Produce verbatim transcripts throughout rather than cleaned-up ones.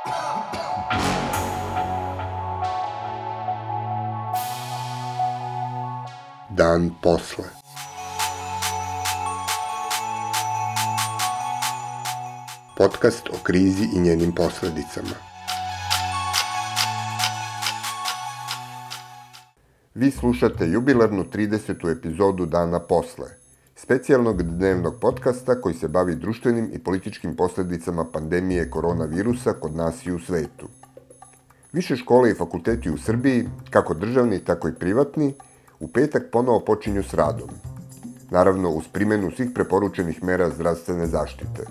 Dan posle. Podcast o krizi i njenim posledicama. Vi slušate jubilarnu tridesetu epizodu Dana posle, specijalnog dnevnog podcasta koji se bavi društvenim i političkim posledicama pandemije koronavirusa kod nas i u svetu. Više škole i fakulteti u Srbiji, kako državni, tako i privatni, u petak ponovo počinju s radom. Naravno, uz primjenu svih preporučenih mera zdravstvene zaštite.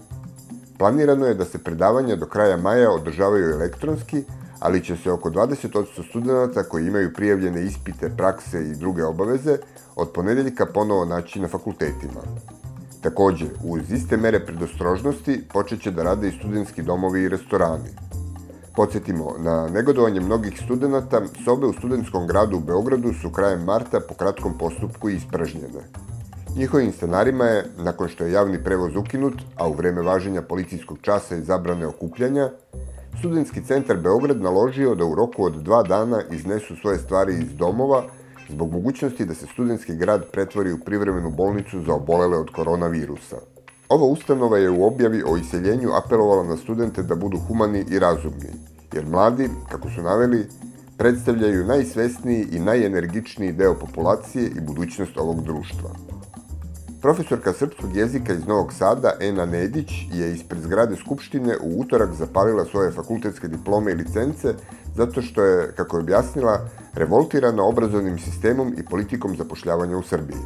Planirano je da se predavanja do kraja maja održavaju elektronski, ali će se oko dvadeset posto studenata koji imaju prijavljene ispite, prakse i druge obaveze od ponedeljka ponovo naći na fakultetima. Takođe, uz iste mere predostrožnosti počeće da rade i studentski domovi i restorani. Podsjetimo, na negodovanje mnogih studenata, sobe u studentskom gradu u Beogradu su krajem marta po kratkom postupku ispražnjene. Njihovim stanarima je, nakon što je javni prevoz ukinut, a u vreme važenja policijskog časa i zabrane okupljanja, Studentski centar Beograd naložio da u roku od dva dana iznesu svoje stvari iz domova zbog mogućnosti da se studentski grad pretvori u privremenu bolnicu za obolele od koronavirusa. Ova ustanova je u objavi o iseljenju apelovala na studente da budu humani i razumni, jer mladi, kako su naveli, predstavljaju najsvesniji i najenergičniji deo populacije i budućnost ovog društva. Profesorka srpskog jezika iz Novog Sada, Ena Nedić, je ispred zgrade Skupštine u utorak zapalila svoje fakultetske diplome i licence zato što je, kako je objasnila, revoltirana obrazovnim sistemom i politikom zapošljavanja u Srbiji.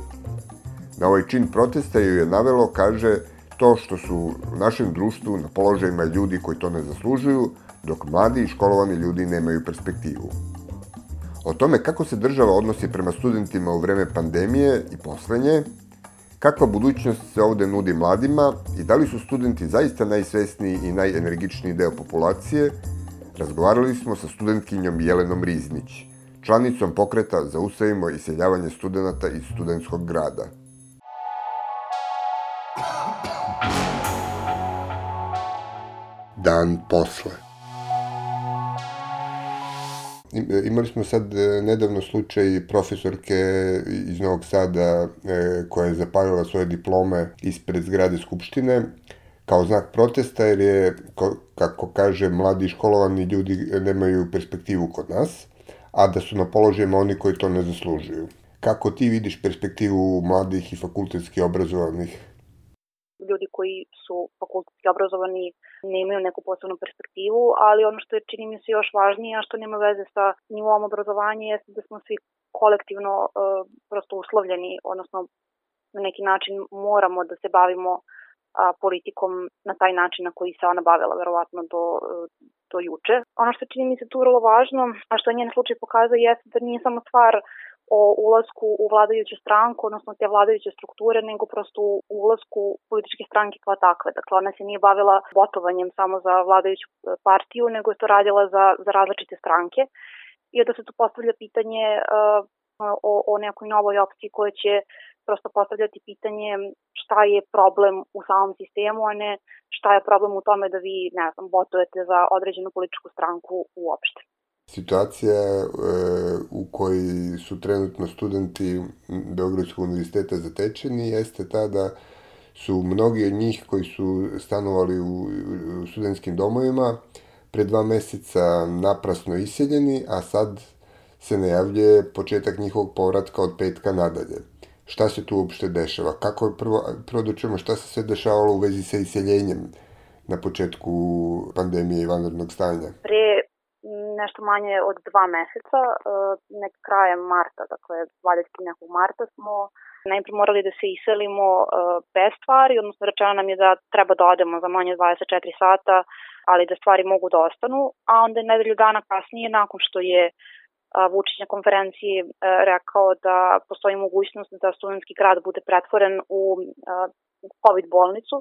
Na ovaj čin protesta ju je navelo, kaže, to što su u našem društvu na položajima ljudi koji to ne zaslužuju, dok mladi i školovani ljudi nemaju perspektivu. O tome kako se država odnosi prema studentima u vreme pandemije i posle nje, kakva budućnost se ovde nudi mladima i da li su studenti zaista najsvesniji i najenergičniji deo populacije, razgovarali smo sa studentkinjom Jelenom Riznić, članicom pokreta Zaustavimo iseljavanje studenata iz studentskog grada. Dan posle. Imali smo sad nedavno slučaj profesorke iz Novog Sada koja je zapalila svoje diplome ispred zgrade Skupštine kao znak protesta jer je, kako kaže, mladi školovani ljudi nemaju perspektivu kod nas, a da su na položajima oni koji to ne zaslužuju. Kako ti vidiš perspektivu mladih i fakultetski obrazovanih? Ljudi koji su fakultetski obrazovani nemaju neku posebnu perspektivu, ali ono što je, čini mi se, još važnije, a što nema veze sa nivom obrazovanja, jeste da smo svi kolektivno uh, prosto uslovljeni, odnosno na neki način moramo da se bavimo uh, politikom na taj način na koji se ona bavila, verovatno do, uh, do juče. Ono što čini mi se tu vrlo važno, a što je njen slučaj pokazuje, jeste da nije samo stvar o ulasku u vladajuću stranku, odnosno te vladajuće strukture, nego prosto u ulasku političke stranke kao takve. Dakle, ona se nije bavila botovanjem samo za vladajuću partiju, nego je to radila za, za različite stranke. I da se tu postavlja pitanje uh, o, o nekoj novoj opciji koja će prosto postavljati pitanje šta je problem u samom sistemu, a ne šta je problem u tome da vi, ne znam, botujete za određenu političku stranku uopšte. Situacija e, u kojoj su trenutno studenti Beogradskog univerziteta zatečeni jeste ta da su mnogi od njih koji su stanovali u, u studentskim domovima pre dva meseca naprasno iseljeni, a sad se najavljuje početak njihovog povratka od petka nadalje. Šta se tu uopšte dešava? Kako je prvo, prvo da čujemo šta se sve dešavalo u vezi sa iseljenjem na početku pandemije i vanrednog stanja? Pre nešto manje od dva meseca, nek krajem marta, dakle dvadesetog nekog marta smo najprije morali da se iselimo bez stvari, odnosno rečeno nam je da treba da odemo za manje od dvadeset četiri sata, ali da stvari mogu da ostanu, a onda je nedelju dana kasnije, nakon što je Vučić na konferenciji rekao da postoji mogućnost da studentski grad bude pretvoren u COVID bolnicu,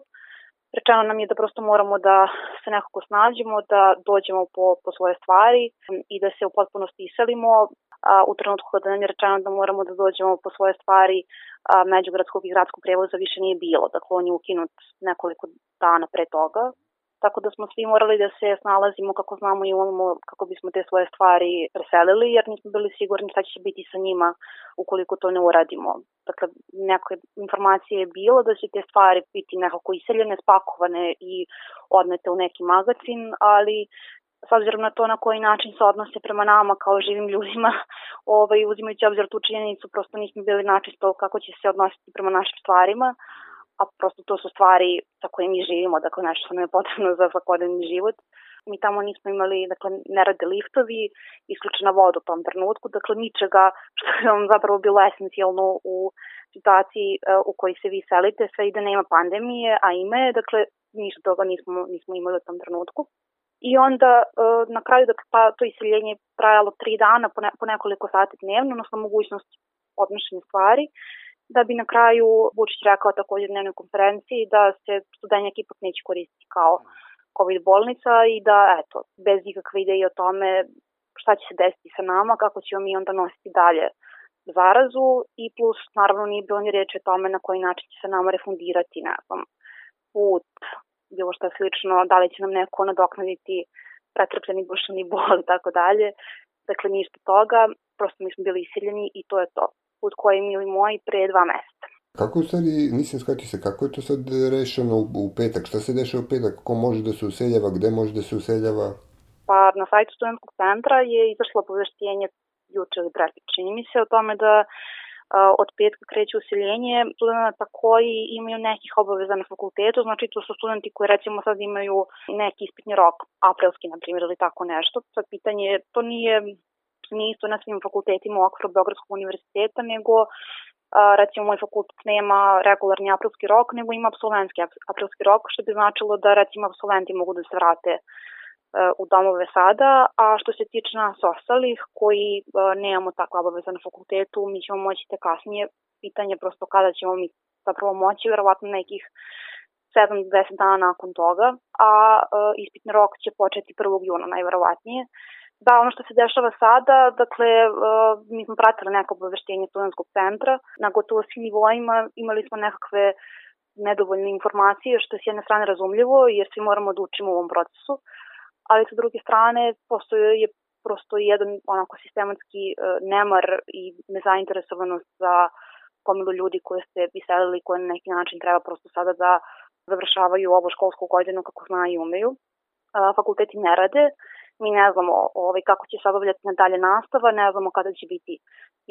rečeno nam je da prosto moramo da se nekako snađemo, da dođemo po, po svoje stvari i da se u potpunosti iselimo. A, u trenutku kada nam je rečeno da moramo da dođemo po svoje stvari, a, međugradskog i gradskog prevoza više nije bilo. Dakle, on je ukinut nekoliko dana pre toga. tako da smo svi morali da se snalazimo kako znamo i umemo kako bismo te svoje stvari preselili, jer nismo bili sigurni šta će biti sa njima ukoliko to ne uradimo. Dakle, neka informacija je bilo da će te stvari biti nekako iseljene, spakovane i odnete u neki magazin, ali s obzirom na to na koji način se odnose prema nama kao živim ljudima, ovaj, uzimajući obzir tu činjenicu, prosto nismo bili načisto kako će se odnositi prema našim stvarima, a prosto to su stvari sa koje mi živimo, dakle nešto što nam je potrebno za svakodnevni život. Mi tamo nismo imali, dakle, ne rade liftovi, isključena voda u tom trenutku, dakle ničega što je vam zapravo bilo esencijalno u situaciji u kojoj se vi selite, sve i da nema pandemije, a ima je, dakle ništa toga nismo, nismo imali u tom trenutku. I onda na kraju, dakle, pa, to iseljenje je trajalo tri dana po, ne, po nekoliko sati dnevno, odnosno mogućnost odnošenja stvari, da bi na kraju Vučić rekao također u dnevnoj konferenciji da se Studenjak ipak neće koristiti kao COVID bolnica i da, eto, bez ikakve ideje o tome šta će se desiti sa nama, kako ćemo mi onda nositi dalje zarazu i plus, naravno, nije bilo ni reči o tome na koji način će se nama refundirati, ne znam, put, bilo što slično, da li će nam neko nadoknaditi pretrpljeni duševni bol i tako dalje. Dakle, ništa toga, prosto mi smo bili isiljeni i to je to. Put koji je mili moji pre dva meseca. Kako u stvari, nisam shvatio se, kako je to sad rešeno u, u petak? Šta se dešava u petak? Ko može da se useljava? Gde može da se useljava? Pa na sajtu Studentskog centra je izašlo obaveštenje juče ili preključe, čini mi se, o tome da a, od petka kreće useljenje studenta koji imaju nekih obaveza na fakultetu, znači to su studenti koji recimo sad imaju neki ispitni rok, aprilski na primjer ili tako nešto. Sad pitanje, to nije, nije isto na svim fakultetima u okviru Beogradskog univerziteta, nego a, recimo moj fakultet nema regularni aprilski rok, nego ima apsolventski aprilski rok, što bi značilo da recimo apsolventi mogu da se vrate u domove sada, a što se tiče nas ostalih koji uh, nemamo takva obaveza na fakultetu, mi ćemo moći te kasnije, pitanje prosto kada ćemo mi zapravo moći, verovatno nekih sedam do deset dana nakon toga, a uh, ispitni rok će početi prvog juna najverovatnije. Da, ono što se dešava sada, dakle, uh, mi smo pratili neko obaveštenje Studentskog centra, na gotovo svim nivoima imali smo nekakve nedovoljne informacije, što je s jedne strane razumljivo, jer svi moramo da učimo u ovom procesu, ali sa druge strane postoje je prosto jedan onako sistematski uh, nemar i nezainteresovanost za gomilu ljudi koje ste iselili, koje na neki način treba prosto sada da završavaju ovu školsku godinu kako znaju i umeju. Uh, fakulteti ne rade, mi ne znamo ovaj, kako će se obavljati nadalje nastava, ne znamo kada će biti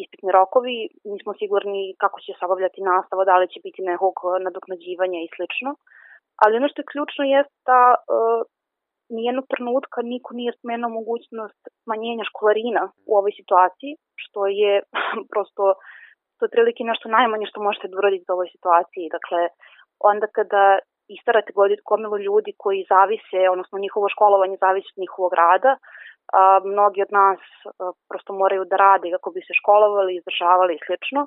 ispitni rokovi, nismo sigurni kako će se obavljati nastava, da li će biti nekog nadoknađivanja i slično. Ali ono što je ključno jeste da uh, nijednog trenutka niko nije spomenuo mogućnost smanjenja školarina u ovoj situaciji, što je prosto to je prilike nešto najmanje što možete da uraditi u ovoj situaciji. Dakle, onda kada istarate gomilu ljudi koji zavise, odnosno njihovo školovanje zavisi od njihovog rada, a, mnogi od nas a, prosto moraju da rade kako bi se školovali, izdržavali i slično.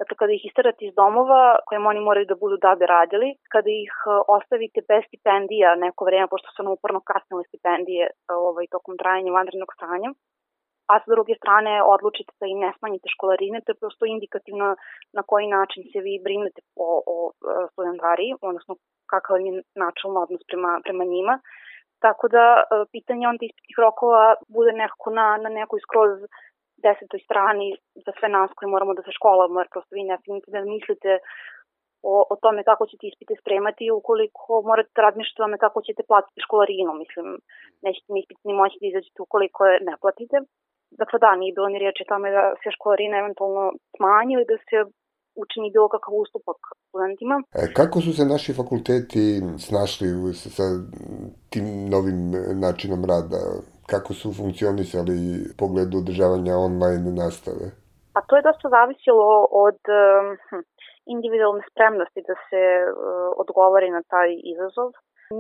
Dakle, kada ih istarate iz domova kojim oni moraju da budu da bi radili, kada ih ostavite bez stipendija neko vreme, pošto su nam uporno kasnile stipendije ovaj, tokom trajanja vanrednog stanja, a sa druge strane odlučite da im ne smanjite školarine, to je prosto indikativno na koji način se vi brinete o, o studentariji, odnosno kakav je načelno odnos prema, prema njima. Tako da pitanje onda ispitnih rokova bude nekako na, na nekoj skroz desetoj strani za sve nas koji moramo da se školamo, jer prosto vi ne smijete da mislite o, o tome kako ćete ispite spremati ukoliko morate da razmišljate o tome kako ćete platiti školarinu. Mislim, nećete mi ispiti ni moći da izađete ukoliko je ne platite. Dakle, da, nije bilo ni riječi o tome da se školarina eventualno smanji ili da se učini bilo kakav ustupak studentima. E, kako su se naši fakulteti snašli sa tim novim načinom rada? Kako su funkcionisali u pogledu održavanja online nastave? Pa to je dosta zavisilo od hm, individualne spremnosti da se uh, odgovori na taj izazov.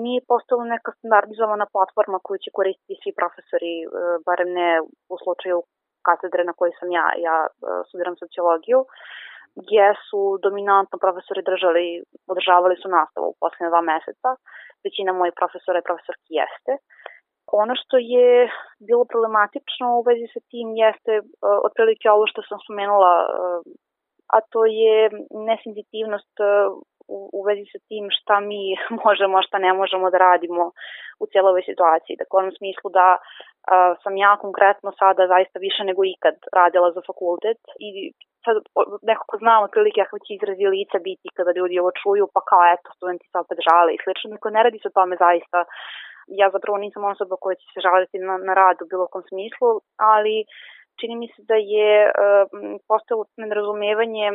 Nije postala neka standardizovana platforma koju će koristiti svi profesori, uh, barem ne u slučaju katedre na kojoj sam ja, ja uh, studiram sociologiju, gdje su dominantno profesori držali, održavali su nastavu u posljednje dva meseca. Većina mojih profesora i profesorki jeste. Ono što je bilo problematično u vezi sa tim jeste uh, otprilike ovo što sam spomenula, uh, a to je nesenzitivnost uh, u, u vezi sa tim šta mi možemo, a šta ne možemo da radimo u cijeloj ovoj situaciji. Dakle, u onom smislu da a, sam ja konkretno sada zaista više nego ikad radila za fakultet i sad nekako znam otprilike kako će izrazi lica biti kada ljudi ovo čuju, pa kao eto, studenti se opet žale i slično. Dakle, ne radi se o tome zaista. Ja zapravo nisam osoba koja će se žaliti na, na rad u bilo kom smislu, ali čini mi se da je uh, postalo nerazumevanje,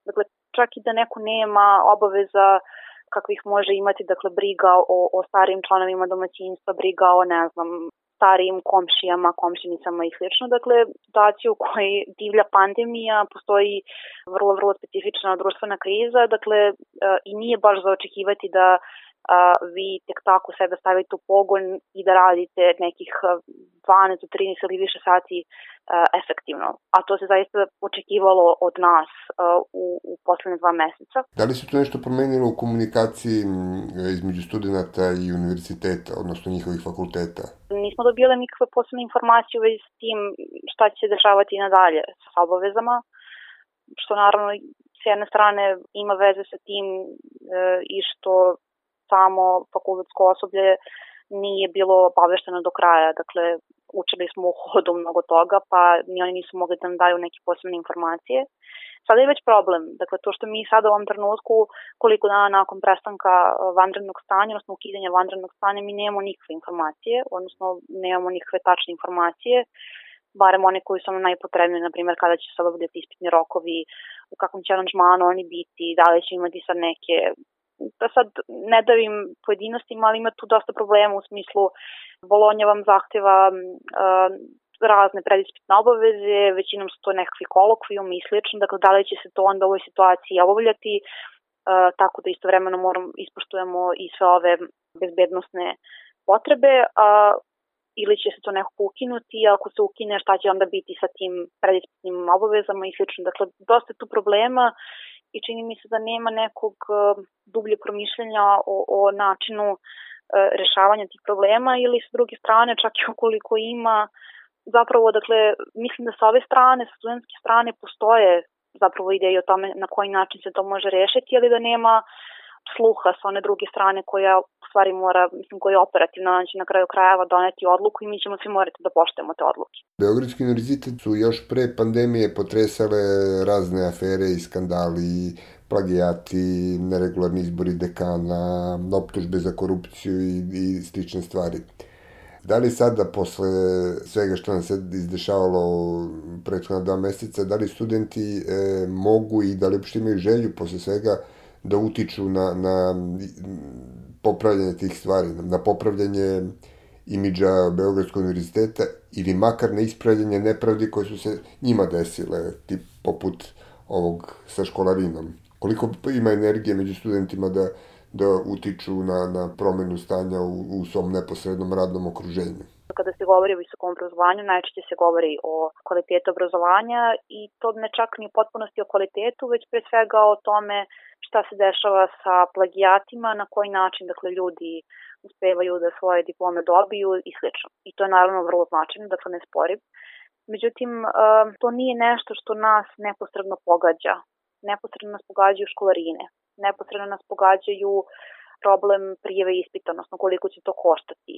dakle, čak i da neko nema obaveza kakvih može imati, dakle, briga o, o starijim članovima domaćinstva, briga o, ne znam, starijim komšijama, komšinicama i slično. Dakle, situaciju u kojoj divlja pandemija, postoji vrlo, vrlo specifična društvena kriza, dakle, uh, i nije baš za očekivati da Uh, vi tek tako sebe stavite u pogon i da radite nekih dvanaest do trinaest ili više sati uh, efektivno. A to se zaista očekivalo od nas uh, u, u poslednje dva meseca. Da li se to nešto promenilo u komunikaciji između studenta i univerziteta, odnosno njihovih fakulteta? Nismo dobili nikakve posebne informacije u vezi s tim šta će se dešavati nadalje sa obavezama, što naravno s jedne strane ima veze sa tim uh, i što samo fakultetsko osoblje nije bilo obavešteno do kraja. Dakle, učili smo u hodu mnogo toga, pa ni oni nisu mogli da nam daju neke posebne informacije. Sada je već problem. Dakle, to što mi sada u ovom trenutku, koliko dana nakon prestanka vanrednog stanja, odnosno ukidanja vanrednog stanja, mi nemamo nikakve informacije, odnosno nemamo nikakve tačne informacije, barem one koji su nam najpotrebnije, na primjer, kada će se obavljati ispitni rokovi, u kakvom će aranžmanu oni biti, da li će imati sad neke, da sad ne davim pojedinostima, ali ima tu dosta problema u smislu Bolonja vam zahteva uh, razne predispitne obaveze, većinom su to nekakvi kolokvijumi i slično, dakle da li će se to onda u ovoj situaciji obavljati, uh, tako da istovremeno moramo ispoštujemo i sve ove bezbednosne potrebe, uh, ili će se to nekako ukinuti, a ako se ukine šta će onda biti sa tim predispitnim obavezama i slično. Dakle, dosta je tu problema i čini mi se da nema nekog uh, dublje promišljanja o, o načinu uh, rešavanja tih problema ili s druge strane, čak i ukoliko ima, zapravo, dakle, mislim da sa ove strane, sa studentske strane postoje zapravo ideje o tome na koji način se to može rešiti, ali da nema sluha sa one druge strane koja u stvari mora, mislim, koja je operativna, znači na kraju krajeva doneti odluku i mi ćemo svi morati da poštujemo te odluke. Beogradski univerzitet su još pre pandemije potresale razne afere i skandali, plagijati, neregularni izbori dekana, optužbe za korupciju i, i slične stvari. Da li sada, posle svega što nam se izdešavalo prethodna dva meseca, da li studenti e, mogu i da li uopšte imaju želju posle svega da utiču na, na popravljanje tih stvari, na popravljanje imidža Beogradskog univerziteta ili makar na ispravljanje nepravdi koje su se njima desile, tip poput ovog sa školarinom. Koliko ima energije među studentima da, da utiču na, na promenu stanja u, u svom neposrednom radnom okruženju? Kada se govori o visokom obrazovanju, najčešće se govori o kvalitetu obrazovanja i to ne čak ni u potpunosti o kvalitetu, već pre svega o tome šta se dešava sa plagijatima, na koji način, dakle, ljudi uspevaju da svoje diplome dobiju i slično. I to je naravno vrlo značajno, dakle ne sporim. Međutim, to nije nešto što nas neposredno pogađa. Neposredno nas pogađaju školarine, neposredno nas pogađaju problem prijave ispita, odnosno koliko će to koštati.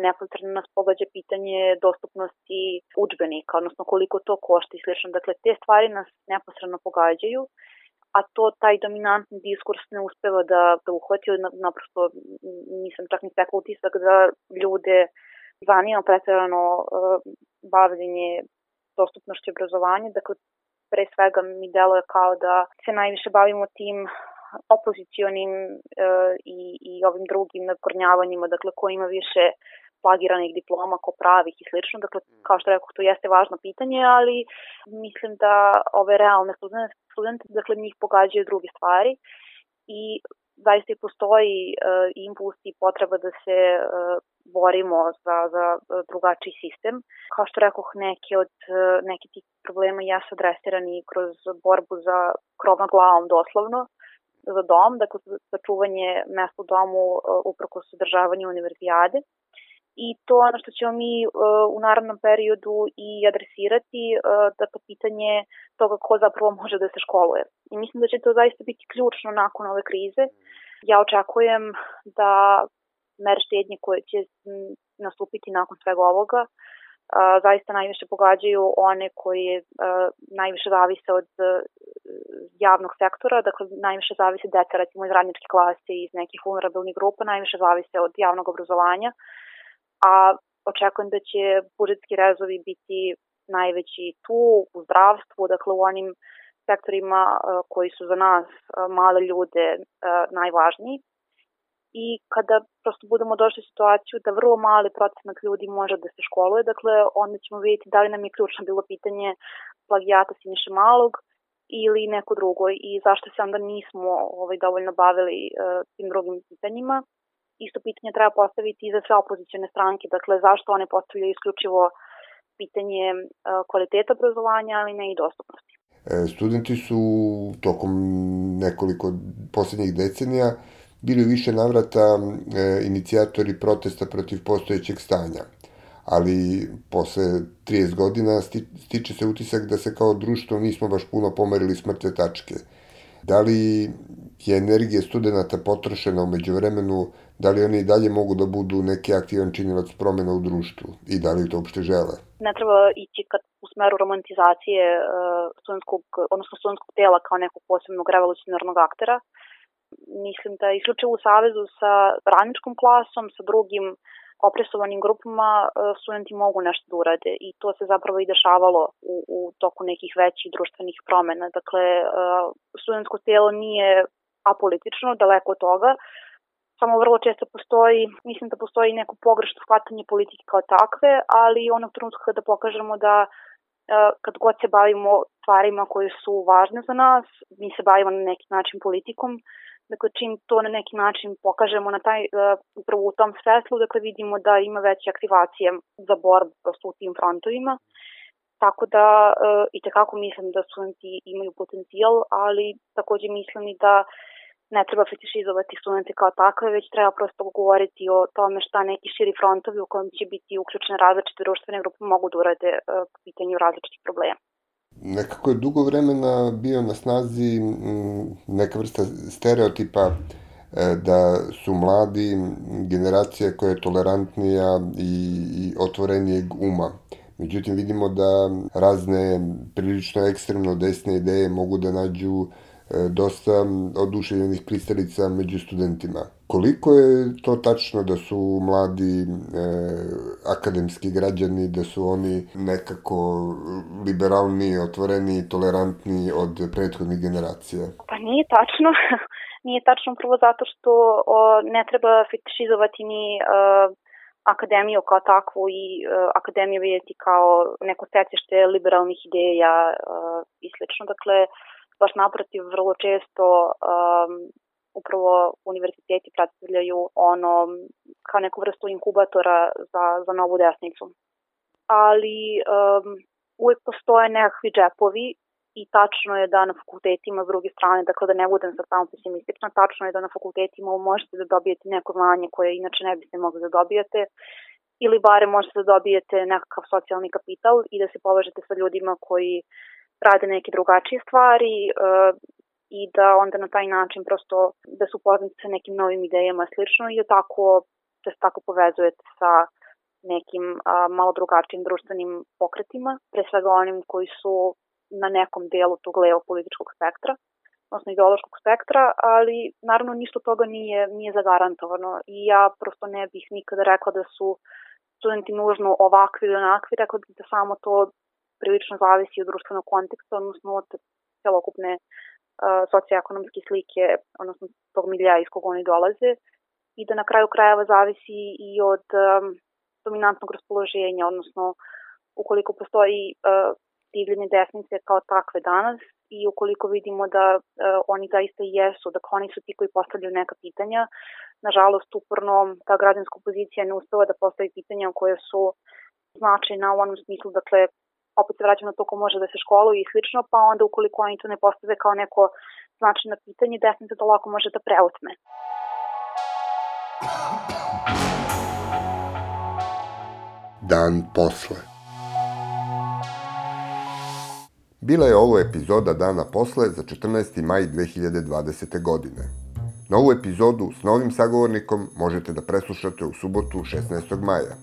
Neposredno nas pogađa pitanje dostupnosti udžbenika, odnosno koliko to košta i slično. Dakle, te stvari nas neposredno pogađaju, a to taj dominantni diskurs ne uspeva da, da uhvati, naprosto nisam čak ni stekla utisak da ljude zanima pretjerano uh, bavljenje dostupnošću obrazovanja. Dakle, pre svega mi deluje kao da se najviše bavimo tim opozicionim uh, i, i ovim drugim nadkornjavanjima, dakle, ko ima više plagiranih diploma, ko pravih i slično. Dakle, kao što rekao, to jeste važno pitanje, ali mislim da ove realne studente, studente dakle, njih pogađaju druge stvari i zaista i postoji uh, impuls i potreba da se uh, borimo za, za drugačiji sistem. Kao što rekoh, neke od uh, neki tih problema jesu adresirani kroz borbu za krov nad glavom doslovno, za dom, dakle za čuvanje mesta u domu uh, uprkos održavanju univerzijade. i to je ono što ćemo mi uh, u narednom periodu i adresirati, uh, dakle pitanje toga ko zapravo može da se školuje. I mislim da će to zaista biti ključno nakon ove krize. Ja očekujem da mere štednje koje će nastupiti nakon svega ovoga uh, zaista najviše pogađaju one koji uh, najviše zavise od uh, javnog sektora, dakle najviše zavise deca recimo iz radničke klase i iz nekih vulnerabilnih grupa, najviše zavise od javnog obrazovanja, a očekujem da će budžetski rezovi biti najveći tu u zdravstvu, dakle u onim sektorima uh, koji su za nas uh, male ljude uh, najvažniji. I kada prosto budemo došli u situaciju da vrlo mali procenat ljudi može da se školuje, dakle onda ćemo vidjeti da li nam je ključno bilo pitanje plagijata Siniše Malog ili neko drugo i zašto se onda nismo ovaj, dovoljno bavili uh, tim drugim pitanjima. Isto pitanje treba postaviti i za sve opozicione stranke, dakle zašto one postavljaju isključivo pitanje uh, kvaliteta obrazovanja, ali ne i dostupnosti. E, studenti su tokom nekoliko posljednjih decenija bili više navrata e, inicijatori protesta protiv postojećeg stanja, ali posle trideset godina sti, stiče se utisak da se kao društvo nismo baš puno pomerili s mrtve tačke. Da li je energija studenta potrošena u međuvremenu, da li oni i dalje mogu da budu neki aktivan činilac promjena u društvu i da li to uopšte žele? Ne treba ići kad u smeru romantizacije uh, studentskog, odnosno studentskog tela kao nekog posebnog revolucionarnog aktera. Mislim da isključivo u savezu sa radničkom klasom, sa drugim opresovanim grupama, studenti mogu nešto da urade i to se zapravo i dešavalo u, u toku nekih većih društvenih promena. Dakle, studentsko telo nije apolitično, daleko od toga, samo vrlo često postoji, mislim da postoji neko pogrešno shvatanje politike kao takve, ali onog trenutka kada pokažemo da kad god se bavimo stvarima koje su važne za nas, mi se bavimo na neki način politikom. Dakle, čim to na neki način pokažemo na taj, uh, upravo u tom svetlu, dakle vidimo da ima veće aktivacije za borbu prosto u tim frontovima. Tako da uh, i tekako mislim da studenti imaju potencijal, ali takođe mislim i da ne treba fetišizovati studente kao takve, već treba prosto govoriti o tome šta neki širi frontovi u kojem će biti uključene različite društvene grupe mogu da urade uh, po pitanju različitih problema. Nekako je dugo vremena bio na snazi neka vrsta stereotipa da su mladi generacija koja je tolerantnija i, i otvorenijeg uma. Međutim, vidimo da razne prilično ekstremno desne ideje mogu da nađu dosta oduševljenih pristalica među studentima. Koliko je to tačno da su mladi e, akademski građani, da su oni nekako liberalni, otvoreni, tolerantni od prethodnih generacija? Pa nije tačno. Nije tačno prvo zato što o, ne treba fetišizovati ni e, akademiju kao takvu i e, akademiju vidjeti kao neko stecište liberalnih ideja e, i slično. Dakle, baš naprotiv, vrlo često um, upravo univerziteti predstavljaju ono kao neku vrstu inkubatora za, za novu desnicu. Ali um, uvek postoje nekakvi džepovi i tačno je da na fakultetima s druge strane, dakle da ne budem sad samo pesimistična, tačno je da na fakultetima možete da dobijete neko znanje koje inače ne biste mogli da dobijete ili bare možete da dobijete nekakav socijalni kapital i da se povežete sa ljudima koji rade neke drugačije stvari uh, i da onda na taj način prosto da su upoznati sa nekim novim idejama slično i da tako, da se tako povezujete sa nekim uh, malo drugačijim društvenim pokretima, pre svega onim koji su na nekom delu tog levo-političkog spektra, odnosno ideološkog spektra, ali naravno ništa toga nije, nije zagarantovano i ja prosto ne bih nikada rekla da su studenti nužno ovakvi ili onakvi, rekla bih da samo to prilično zavisi od društvenog konteksta, odnosno od celokupne uh, socioekonomske slike, odnosno tog milija iz kog oni dolaze i da na kraju krajeva zavisi i od um, dominantnog raspoloženja, odnosno ukoliko postoji uh, divljene desnice kao takve danas i ukoliko vidimo da uh, oni zaista i jesu, dakle oni su ti koji postavljaju neka pitanja, nažalost uporno ta građanska opozicija ne uspeva da postavi pitanja koje su značajna u onom smislu, dakle opet se vraćamo na to ko može da se školuje i slično, pa onda ukoliko oni to ne postave kao neko značajno pitanje, desnica to lako može da preuzme. Dan posle. Bila je ovo epizoda Dana posle za četrnaesti maj dve hiljade dvadesete. godine. Novu epizodu s novim sagovornikom možete da preslušate u subotu šesnaestog maja.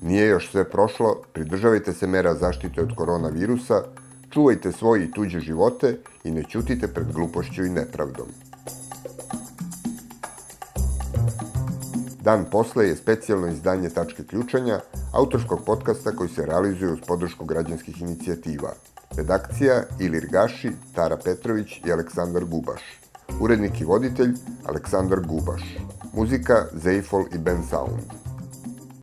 Nije još sve prošlo, pridržavajte se mera zaštite od koronavirusa, čuvajte svoje i tuđe živote i ne ćutite pred glupošću i nepravdom. Dan posle je specijalno izdanje Tačke ključanja, autorskog podcasta koji se realizuje uz podršku građanskih inicijativa. Redakcija Ilir Gaši, Tara Petrović i Aleksandar Gubaš. Urednik i voditelj Aleksandar Gubaš. Muzika Zeifol i Ben Sound.